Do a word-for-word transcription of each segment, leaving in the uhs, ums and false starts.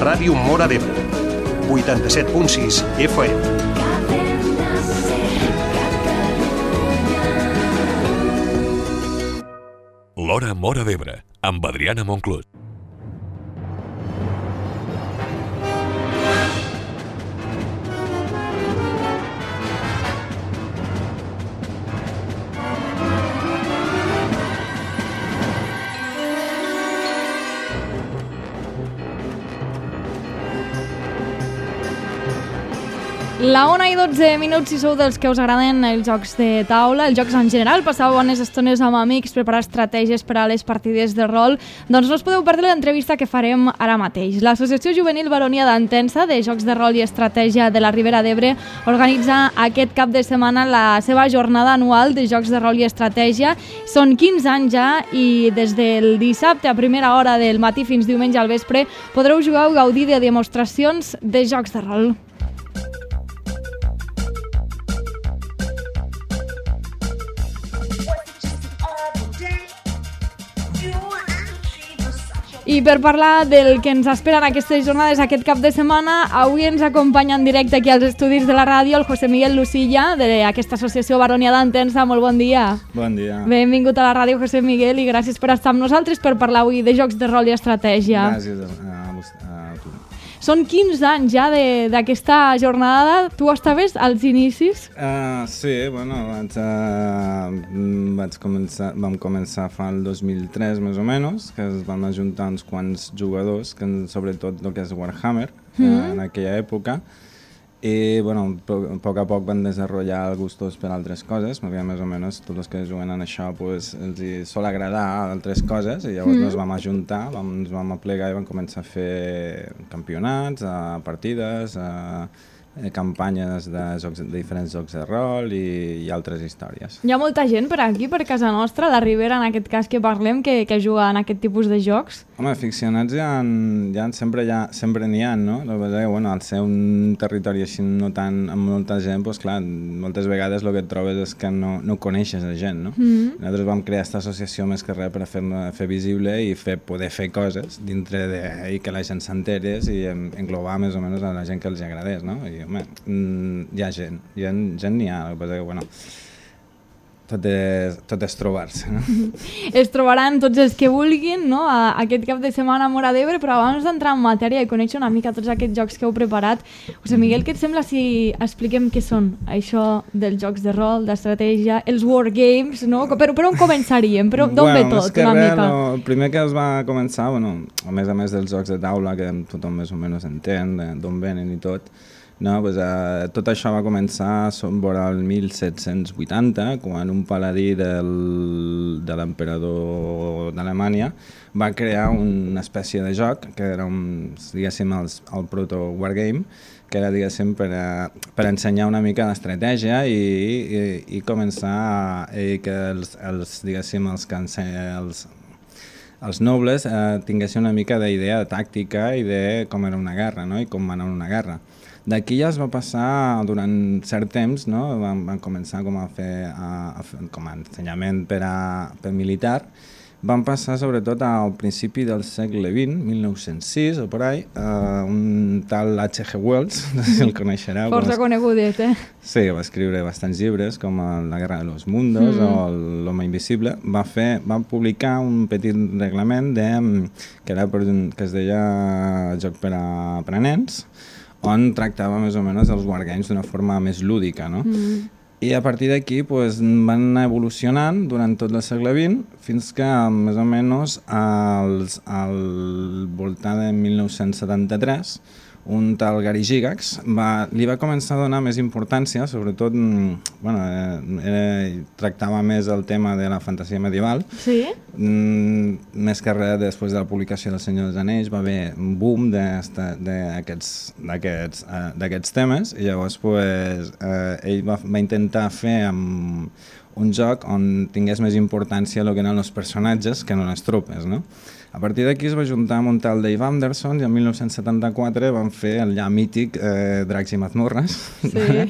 Ràdio Móra d'Ebre, vuitanta-set punt sis F M. L'Hora Móra d'Ebre, amb Adriana Monclús. La una i dotze minuts, si sou dels que us agraden els jocs de taula, els jocs en general, passar bones estones amb amics, preparar estratègies per a les partides de rol, doncs no us podeu perdre l'entrevista que farem ara mateix. L'Associació Juvenil Baronia d'Entença de Jocs de Rol i Estratègia de la Ribera d'Ebre organitza aquest cap de setmana la seva jornada anual de Jocs de Rol i Estratègia. Són quinze anys ja i des del dissabte a primera hora del matí fins diumenge al vespre podreu jugar o gaudir de demostracions de jocs de rol. I per parlar del que ens espera en aquestes jornades aquest cap de setmana, avui ens acompanya en directe aquí als estudis de la ràdio el José Miguel Lucilla, d'aquesta associació Baronia d'Entença. Molt bon dia. Bon dia. Benvingut a la ràdio, José Miguel, i gràcies per estar amb nosaltres per parlar avui de jocs de rol i estratègia. Gràcies a, a, a tu. Són quinze anys ja d'aquesta jornada. Tu estaves als inicis? Uh, sí, bueno, vaig, uh, vaig començar, vam començar fa el dos mil tres més o menys, que es van ajuntar uns quants jugadors, que sobretot el que és Warhammer, mm. uh, en aquella època, i bueno, a poc a poc van desenvolupar gustos per altres coses, perquè més o menys tots els que juguen en això pues, els hi sol agradar altres coses, i llavors mm. ens vam ajuntar, vam, ens vam aplegar i vam començar a fer campionats, a partides, a campanyes de, jocs, de diferents jocs de rol i, i altres històries. Hi ha molta gent per aquí, per casa nostra, la Ribera en aquest cas que parlem, que, que juga en aquest tipus de jocs? Home, aficionats ja, en, ja en sempre n'hi sempre ha, no? La veritat que, bueno, al ser un territori així no tan, amb molta gent, doncs clar, moltes vegades el que et trobes és que no, no coneixes la gent, no? Mm-hmm. Nosaltres vam crear aquesta associació més que res per fer, fer visible i fer, poder fer coses dintre de, i que la gent s'enterés i englobar més o menys a la gent que els agradés, no? I, home, hi ha gent, hi ha gent n'hi ha, el que passa que, bueno, tot és, tot és trobar-se, no? Es trobaran tots els que vulguin, no?, a, aquest cap de setmana a Móra d'Ebre, però abans d'entrar en matèria i conèixer una mica tots aquests jocs que heu preparat, José Miguel, què et sembla si expliquem què són això dels jocs de rol, d'estratègia, els wargames, no? Per, per on començaríem? Per on, d'on bueno, ve tot, una mica? No, el primer que es va començar, bueno, a més a més dels jocs de taula, que tothom més o menys entén d'on venen i tot, no, pues, uh, tot això va començar vora el mil set-cents vuitanta, quan un paladí del, de l'emperador d'Alemanya va crear una espècie de joc, que era un, diguéssim, el, el proto-wargame, que era, diguéssim, per, a, per ensenyar una mica d'estratègia i, i, i començar a, i que els, els, diguéssim, els, els, els nobles eh, tinguessin una mica d'idea de tàctica i de com era una guerra, no? I com va anar una guerra. D'aquí ja es va passar durant cert temps, no? van, van començar com a fer, a, a fer com a ensenyament per, a, per militar. Van passar sobretot al principi del segle vint, mil nou-cents sis o por ahí, uh, un tal H G Wells, no sé si el coneixereu. Força conegudet, eh? Sí, va escriure bastants llibres, com La guerra de los mundos mm. o L'home invisible. Va, fer, va publicar un petit reglament de, que, era, que es deia Joc per a, per a nens, on tractava més o menys els wargames d'una forma més lúdica, no? Mm. I a partir d'aquí pues, van anar evolucionant durant tot el segle vint fins que més o menys als, al voltant de mil nou-cents setanta-tres un tal Gary Gygax va, li va començar a donar més importància, sobretot, bueno, era, tractava més el tema de la fantasia medieval. Sí? Mm, més que res, després de la publicació del Senyor dels Anells va haver un boom d'aquests uh, temes i llavors pues, uh, ell va, va intentar fer amb un joc on tingués més importància el que eren els personatges que no les tropes, no? A partir d'aquí es va juntar amb un tal Dave Anderson i en mil nou-cents setanta-quatre van fer el ja mític eh, Dracs i Mazmorres. Sí.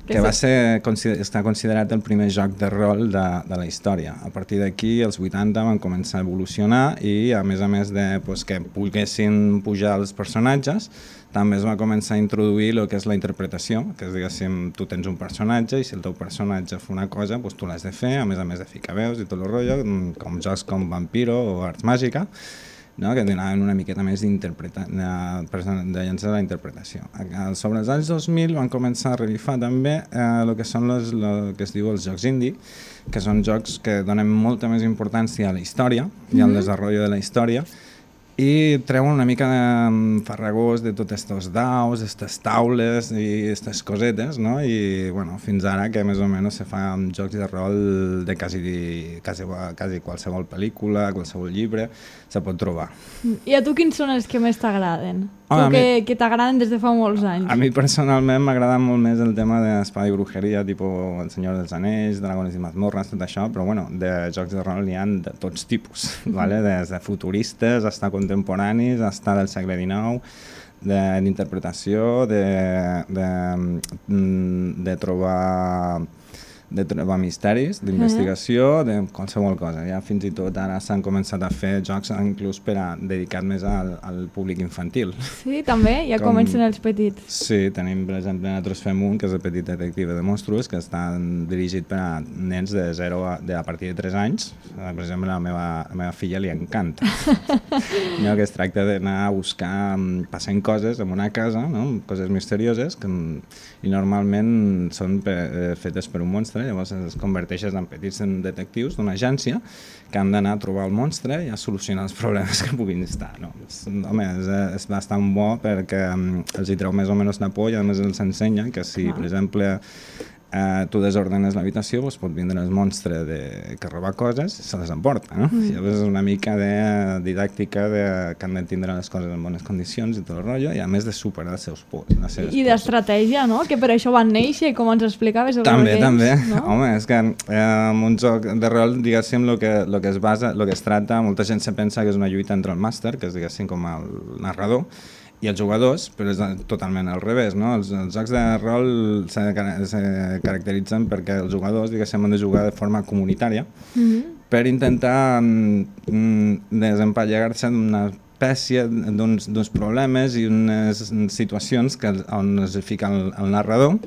que va ser, està considerat el primer joc de rol de, de la història. A partir d'aquí, els vuitanta van començar a evolucionar i, a més a més de pues, que poguessin pujar els personatges, també es va començar a introduir el que és la interpretació, que és, diguéssim, tu tens un personatge i si el teu personatge fa una cosa, doncs tu l'has de fer, a més a més de ficar veus i tot el rotllo, com jocs com Vampiro o Arts Màgica, no? Que donaven una miqueta més de, de llançar la interpretació. Sobre els anys dos mil van començar a revifar també el eh, que són los, lo que es diu els jocs indie, que són jocs que donen molta més importància a la història i al desenvolupament de la història, i treuen una mica de farragós de tots estos daus, aquestes taules i aquestes cosetes, no? I bueno, fins ara que més o menys se fan jocs de rol de quasi, quasi, quasi qualsevol pel·lícula, qualsevol llibre, se pot trobar. I a tu quins són els que més t'agraden? Ah, tu que, mi... que t'agraden des de fa molts anys. A mi personalment m'agrada molt més el tema d'espada i brujeria, tipus El Senyor dels Anells, Dragones i Mazmorres, tot això, però bueno, de jocs de rol n'hi ha de tots tipus, ¿vale? Des de futuristes, fins contemporanis, fins del segle dinou, d'interpretació, de, de, de, de trobar... de trobar misteris, d'investigació, de qualsevol cosa. Ja fins i tot ara s'han començat a fer jocs inclús per a dedicat més al, al públic infantil. Sí, també? Ja Com... comencen els petits. Sí, tenim, per exemple, nosaltres fem un, que és el Petit Detective de Monstruos, que està dirigit per a nens de zero a, de, a partir de tres anys. Per exemple, a la meva, a la meva filla li encanta. No, que es tracta d'anar a buscar, passant coses en una casa, no? Coses misterioses, que, i normalment són per, eh, fetes per un monstre. Llavors es converteixen en petits detectius d'una agència que han d'anar a trobar el monstre i a solucionar els problemes que puguin estar. No? Home, és, és bastant bo perquè um, els hi treu més o menys de por i a més els ensenya que si, per exemple, eh, tu desordenes l'habitació, doncs pot vindre el monstre de, que roba coses i se les emporta. No? Mm. Llavors és una mica de didàctica de, que han de tindre les coses en bones condicions i tot el rotllo, i a més de superar els seus pors. I d'estratègia, no? Que per això van néixer, com ens explicaves. També, també. No? Home, és que eh, en un joc de rol, diguéssim, el que, lo que es basa, el que es tracta, molta gent se pensa que és una lluita entre el màster, que és, diguéssim, com el narrador, i els jugadors, però és totalment al revés, no? Els, els jocs de rol se, se caracteritzen perquè els jugadors, diguéssim, han de jugar de forma comunitària mm-hmm. per intentar mm, desempallegar-se d'una espècie d'uns problemes i unes situacions que, on es fica el, el narrador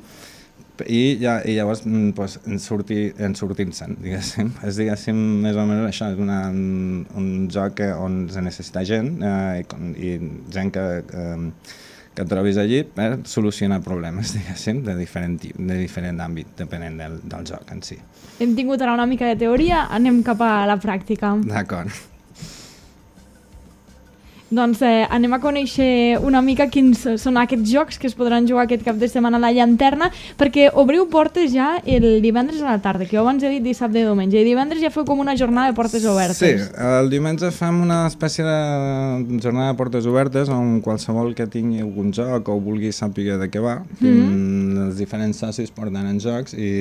i, ja, i llavors pues, en sortir, en sortir-se'n, diguéssim. És, diguéssim, més o menys això, és una, un, un joc on se necessita gent eh, i, i gent que, eh, que trobis allí per solucionar problemes, diguéssim, de diferent, de diferent àmbit, depenent del, del joc en si. Hem tingut ara una mica de teoria, anem cap a la pràctica. D'acord. Doncs eh, anem a conèixer una mica quins són aquests jocs que es podran jugar aquest cap de setmana a la Llanterna, perquè obriu portes ja el divendres a la tarda, que jo abans he dit dissabte i diumenge, i divendres ja feu com una jornada de portes obertes. Sí, el diumenge fem una espècie de jornada de portes obertes on qualsevol que tingui algun joc o vulgui saber de què va, mm-hmm. els diferents socis porten en jocs i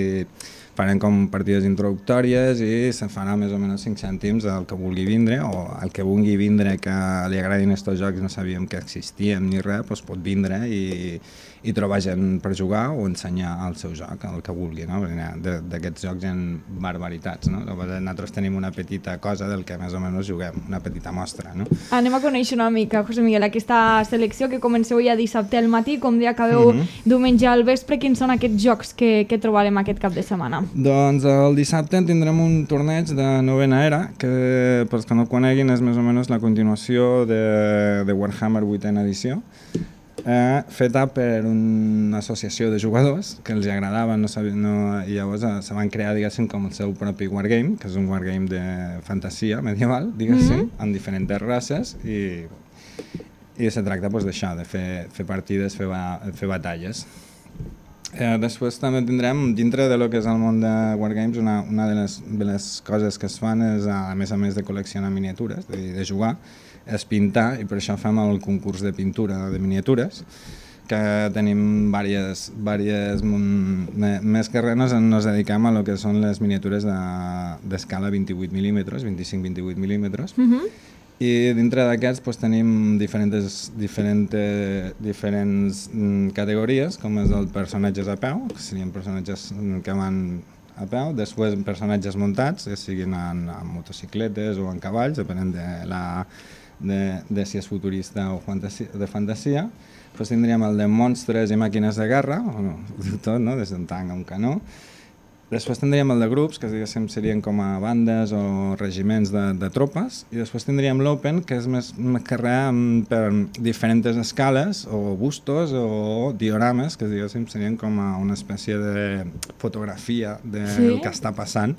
farem com partides introductòries i se farà més o menys cinc cèntims al que vulgui vindre, o al que vulgui vindre que li agradin aquests jocs, no sabíem que existien ni res, doncs pot vindre i, i trobar gent per jugar o ensenyar el seu joc, el que vulgui, no? D'aquests jocs hi ha barbaritats, no? Nosaltres tenim una petita cosa del que més o menys juguem, una petita mostra, no? Anem a conèixer una mica, José Miguel, aquesta selecció que comenceu ja dissabte al matí, com dia acabeu mm-hmm. diumenge al vespre, quins són aquests jocs que, que trobarem aquest cap de setmana? Doncs el dissabte tindrem un torneig de novena era, que pels que no el coneguin és més o menys la continuació de, de Warhammer vuitena edició, eh, feta per una associació de jugadors que els agradava, no sabia, no, i llavors eh, se van crear, diguéssim, com el seu propi wargame, que és un wargame de fantasia medieval, diguéssim, mm-hmm. amb diferents races, i, i se tracta pues, d'això, de fer, fer partides, fer, fer batalles. Eh, després també tindrem, dintre de lo que és el món de Wargames, una, una de, les, de les coses que es fan és, a més a més de col·leccionar miniatures, de, de jugar, és pintar, i per això fem el concurs de pintura de miniatures, que tenim diverses, diverses més que res nos, nos dediquem a lo que són les miniatures d'escala de, vint-i-vuit mil·límetres, vint-i-cinc a vint-i-vuit mil·límetres, mm-hmm. I dintre d'aquests doncs, tenim diferents, diferents, diferents categories, com és el personatges a peu, que serien personatges que van a peu, després personatges muntats, que siguin en, en motocicletes o en cavalls, depenent de, la, de, de si és futurista o fantasia, de fantasia. Després tindríem el de monstres i màquines de guerra, bueno, ho diu tot, no? Des d'un tanc a un canó. Després tindríem el de grups, que diguéssim serien com a bandes o regiments de, de tropes, i després tindríem l'Open, que és més carrer per diferents escales o bustos o diorames, que diguéssim serien com a una espècie de fotografia del sí? que està passant,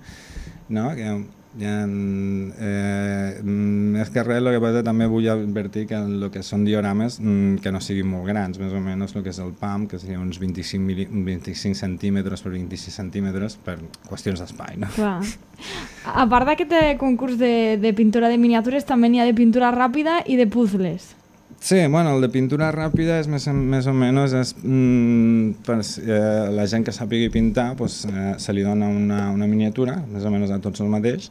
no? Que, ja, eh, més que res, el que passa també vull advertir que el que són diorames que no siguin molt grans, més o menys el que és el P A M, que seria uns vint-i-cinc, mili, vint-i-cinc centímetres per vint-i-sis centímetres per qüestions d'espai. No? A part d'aquest concurs de, de pintura de miniatures, també n'hi ha de pintura ràpida i de puzzles. Sí, bueno, el de pintura ràpida és més, més o menys és, mm, per eh, la gent que sàpigui pintar pues, eh, se li dona una, una miniatura, més o menys a tots el mateix,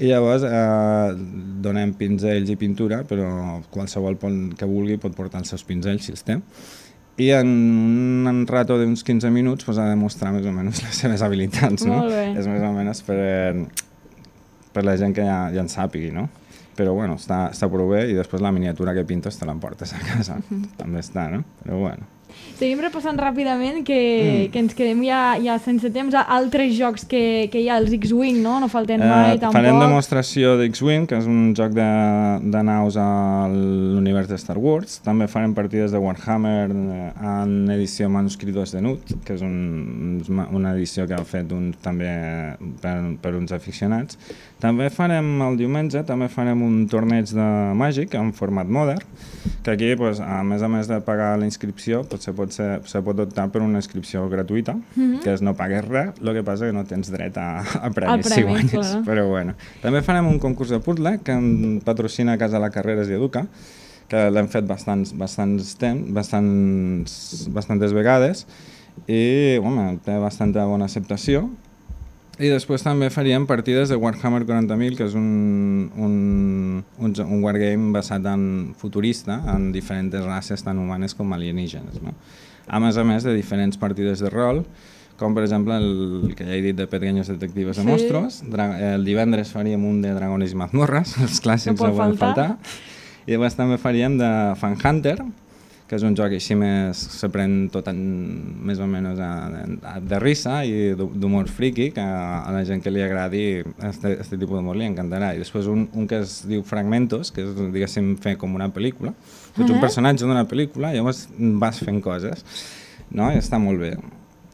i llavors eh, donem pinzells i pintura, però qualsevol que vulgui pot portar els seus pinzells si els té. I en un rato d'uns quinze minuts pues, ha de mostrar més o menys les seves habilitats. No? Molt bé. És més o menys per, per la gent que ja, ja en sàpigui, no? Però bueno, està, està prou bé i després la miniatura que pintes te l'emportes a casa. Uh-huh. També està, no? Però bueno. Seguim repassant ràpidament que, mm. que ens quedem ja, ja sense temps a altres jocs que, que hi ha, els X-Wing, no? No falten mai, eh, tampoc. Farem demostració d'X-Wing, que és un joc de, de naus a l'univers de Star Wars. També farem partides de Warhammer en edició manuscritos de Nut, que és un, una edició que ha fet un, també per, per uns aficionats. També farem el diumenge, també farem un torneig de màgic en format modern, que aquí, pues, a més a més de pagar la inscripció, pues, se, pot ser, se pot optar per una inscripció gratuïta, mm-hmm. que és no pagues res, el que passa que no tens dret a, a premis si guanyes. Clar. Però bueno. També farem un concurs de puzzle que patrocina Casa la Carreras i Educa, que l'hem fet bastants, bastants temps, bastants, bastantes vegades, i home, té bastanta bona acceptació. I després també faríem partides de Warhammer quaranta mil, que és un, un, un, un wargame basat en futurista, en diferents races tant humanes com alienígenes. No? A més a més de diferents partides de rol, com per exemple el que ja he dit de Pequeños Detectives de sí. Monstruos. El divendres faríem un de Dragones i Mazmorras, els clàssics no poden faltar. I després també faríem de Fan Hunter, que és un joc així més, se pren tot en, més o menys a, a, de risa i d'humor friki, que a, a la gent que li agradi aquest tipus d'humor li encantarà. I després un, un que es diu Fragmentos, que és, diguéssim, fer com una pel·lícula. Tu ets un personatge d'una pel·lícula i llavors vas fent coses, no? I està molt bé.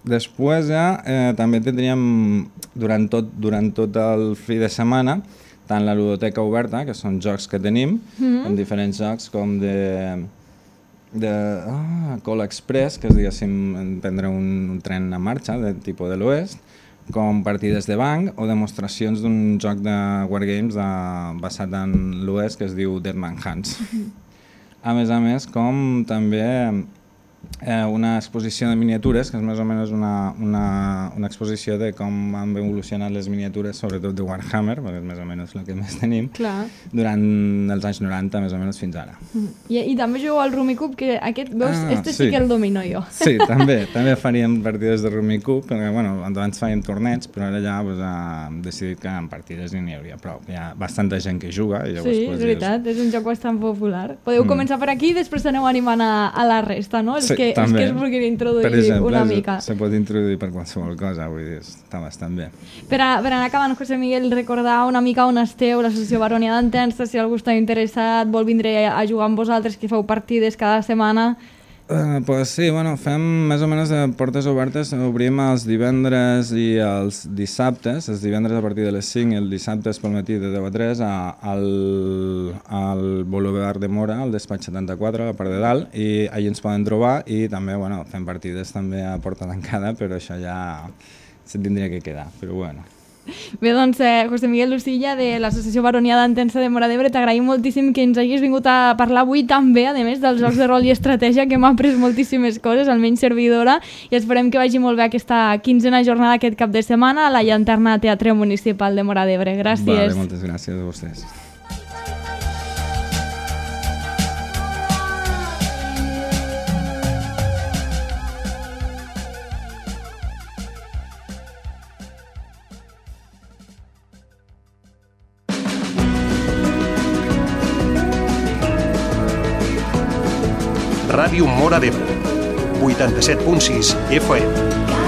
Després ja eh, també tindríem, durant tot, durant tot el fi de setmana, tant la ludoteca oberta, que són jocs que tenim, mm-hmm. com diferents jocs com de... de ah, Call Express, que és, diguéssim, prendre un, un tren en marxa de tipus de l'oest, com partides de banc o demostracions d'un joc de wargames de, basat en l'oest que es diu Dead Man Hands. A més a més, com també eh, una exposició de miniatures, que és més o menys una, una, una exposició de com han evolucionat les miniatures, sobretot de Warhammer, perquè és més o menys el que més tenim, Clar. durant els anys noranta, més o menys fins ara. I, i també jugueu al Rummikub, que aquest, veus, ah, este sí. sí que el domino jo. Sí, també, també faríem partides de Rummikub, perquè bueno, abans fèiem torneigs, però ara ja pues, hem decidit que en partides n'hi hauria prou. Hi ha bastanta gent que juga. I llavors, sí, pues, és veritat, és un joc bastant popular. Podeu mm. començar per aquí i després aneu animant a, a la resta, no? Els, sí, que, els que es vulguin introduir per exemple, una mica. Se pot introduir per qualsevol cosa, vull dir, està bastant bé. Per, a, per anar acabant, José Miguel, recordar una mica on esteu, l'Associació Baronia d'Entença, si algú està interessat, vol vindre a jugar amb vosaltres, que feu partides cada setmana. Uh, pues sí, bueno, fem més o menys de portes obertes, obrim els divendres i els dissabtes, els divendres a partir de les cinc i el dissabte pel matí de deu a tres a, al, al Boulevard de Mora, al despatx setanta-quatre, a la part de dalt, i allà ens poden trobar i també, bueno, fem partides també a porta tancada, però això ja se tindria que quedar, però bueno. Bé, doncs, eh, José Miguel Lucilla, de l'Associació Baronia d'Entença de Móra d'Ebre, t'agraïm moltíssim que ens hagis vingut a parlar avui també, a més dels jocs de rol i estratègia, que m'ha après moltíssimes coses, almenys servidora, i esperem que vagi molt bé aquesta quinzena jornada aquest cap de setmana a la Llanterna Teatre Municipal de Móra d'Ebre. Gràcies. Vale, moltes gràcies a vostès. Ràdio Móra d'Ebre. vuitanta-set punt sis F M.